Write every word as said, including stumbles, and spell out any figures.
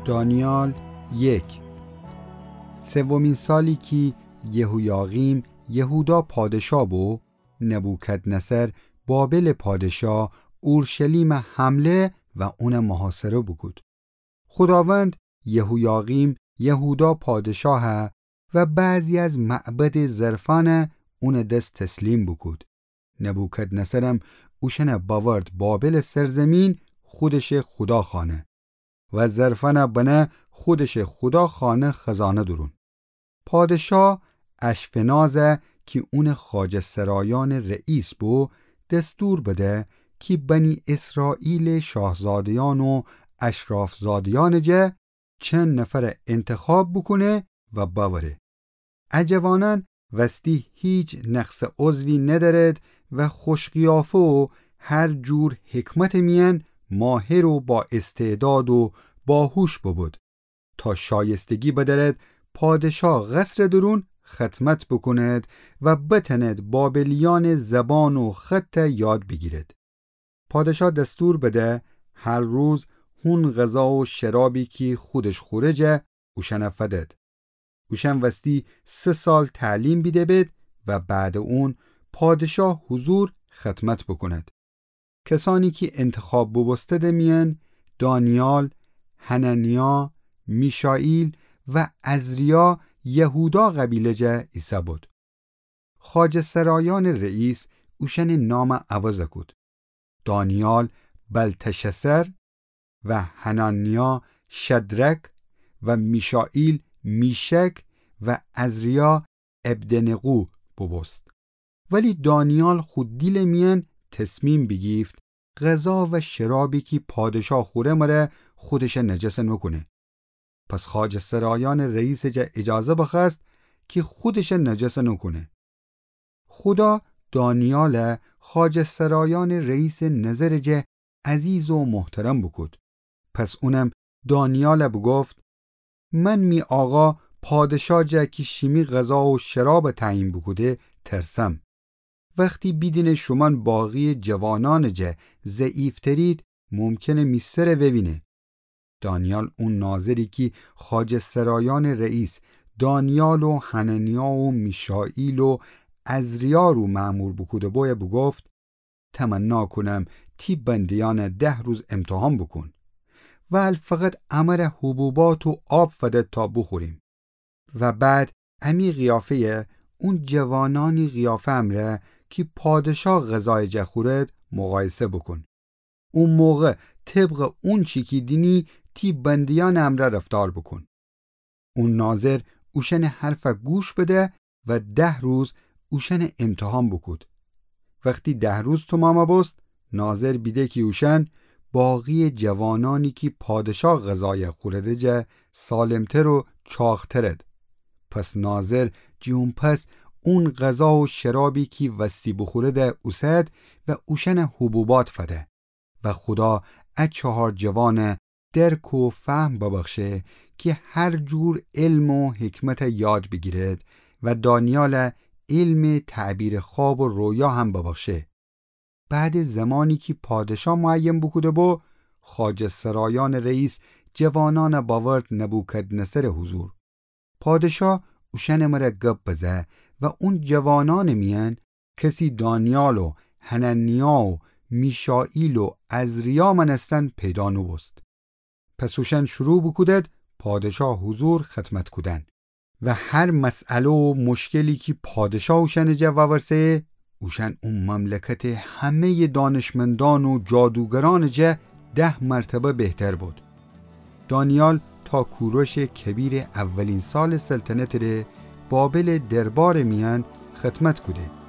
دانیال یک. سومین سالی کی یهویاقیم یهودا پادشا بو، نبوکدنصر بابل پادشا اورشلیم حمله و اون محاصره بوکود. خوداوند یهویاقیم یهودا پادشاه و بعضی از معبد ظرفان اون دس تسلیم بوکود. نبوکدنصرم اوشن باورد بابل سرزمین خودش خدا خانه و ظرفان بنه خودش خدا خانه خزانه درون. پادشا اشفناز کی اون خواجه سرایان رئیس بو، دستور بده کی بنی اسرائیل شاهزادیان و اشرافزادیان جه چند نفر انتخاب بوکونه و باوره. ا جوانان وستی هیچ نقص عضوی ندارد و خوشقیافه و هر جور حکمت میان ماهر و با استعداد و باهوش ببود، تا شایستگی بدارد پادشا قصر درون خدمت بکند و بتند بابلیان زبان و خط یاد بگیرد. پادشا دستور بده هر روز هون غذا و شرابی کی خودش خوره جه اوشن فدد. اوشن وستی سه سال تعلیم بیده بید و بعد اون پادشا حضور خدمت بکند. کسانی کی انتخاب ببوستد میان دانیال، حننیا، میشائیل و عزریا یهودا قبیله جه ایسه بود. خواجه سرایان رئیس اوشن نام عوض کود. دانیال بلتشسر و حننیا شدرک و میشائیل میشک و عزریا عبدنقو ببوست. ولی دانیال خو دیل میان تصمیم بیگیفت غذا و شرابی کی پادشا خوره مره خودش نجس نکونه. پس خواجه سرایان رئیس جه اجازه بخوأست کی خودش نجس نکونه. خدا دانیال خواجه سرایان رئیس نظر جه عزیز و محترم بکود. پس اونم دانیال بگفت: من می آقا پادشا جه کی شیمی غذا و شراب تعیین بوکوده ترسم. وختی بیدینه شومأن باقی جوانأن جه ضعیفترید، ممکنه می سر ووینه. دانیال اون ناظری کی خواجه سرایأن رئیس دانیال و حننیا و میشائیل و عزریا رو مأمور بوکوده بویه بوگفت: تمنا کونم تی بنده‌یأن ده روز امتحان بوکون. ول فقط امره حبوبات و آب فدد تا بوخوریم. و بعد امی قیافه‌یه اون جوانأنی قیافه امرأ کی پادشا غذایٚ جه خورد مقایسه بوکون. او موقع طبق اونچی کی دینی تی بنده‌یأنٚ امرأ رفتار بوکون. او ناظر اوشأنٚ حرفه گوش بده و ده روز اوشأنه امتحان بوکود. وختی ده روز تومام بوست، ناظر بیده کی اوشأن باقی جوانأنی کی پادشا غذایه خورده جه سالمتر و چاقترد. پس ناظر جٚه اون پس اون غذا و شرابی کی وستی بوخورده اوسد و اوشأنه حبوبات فده. و خودا ا چهار جوانه درک و فهم ببخشه کی هر جور علم و حکمته یاد بیگیرد و دانیاله علمٚ تعبیرٚ خواب و رویا هم ببخشه. بعدٚ زمانی کی پادشا معین بوکوده بو، خواجه سرایأنٚ رئیس جوانأنه باورد نبوکدنصرٚ حضور. پادشا اوشأنٚ مره گب بزه و اون جوانأنٚ میأن کسی دانیال و حننیا و میشائیل و عزریا مأنستن پیدا نوبوست. پس اوشأن شروع بوکودد پادشا حضور خدمت کودن و هر مسئله و مشکلی کی پادشا اوشأنٚ جه وورسه، اوشأن او مملکتٚ همه‌یٚ دانشمندأن و جادوگرأنٚ جه ده مرتبه بهتر بود. دانیال تا کوروشٚ کبیرٚ اولین سالٚ سلطنتٚ ره بابلٚ دربارٚ میأن خدمت کوده.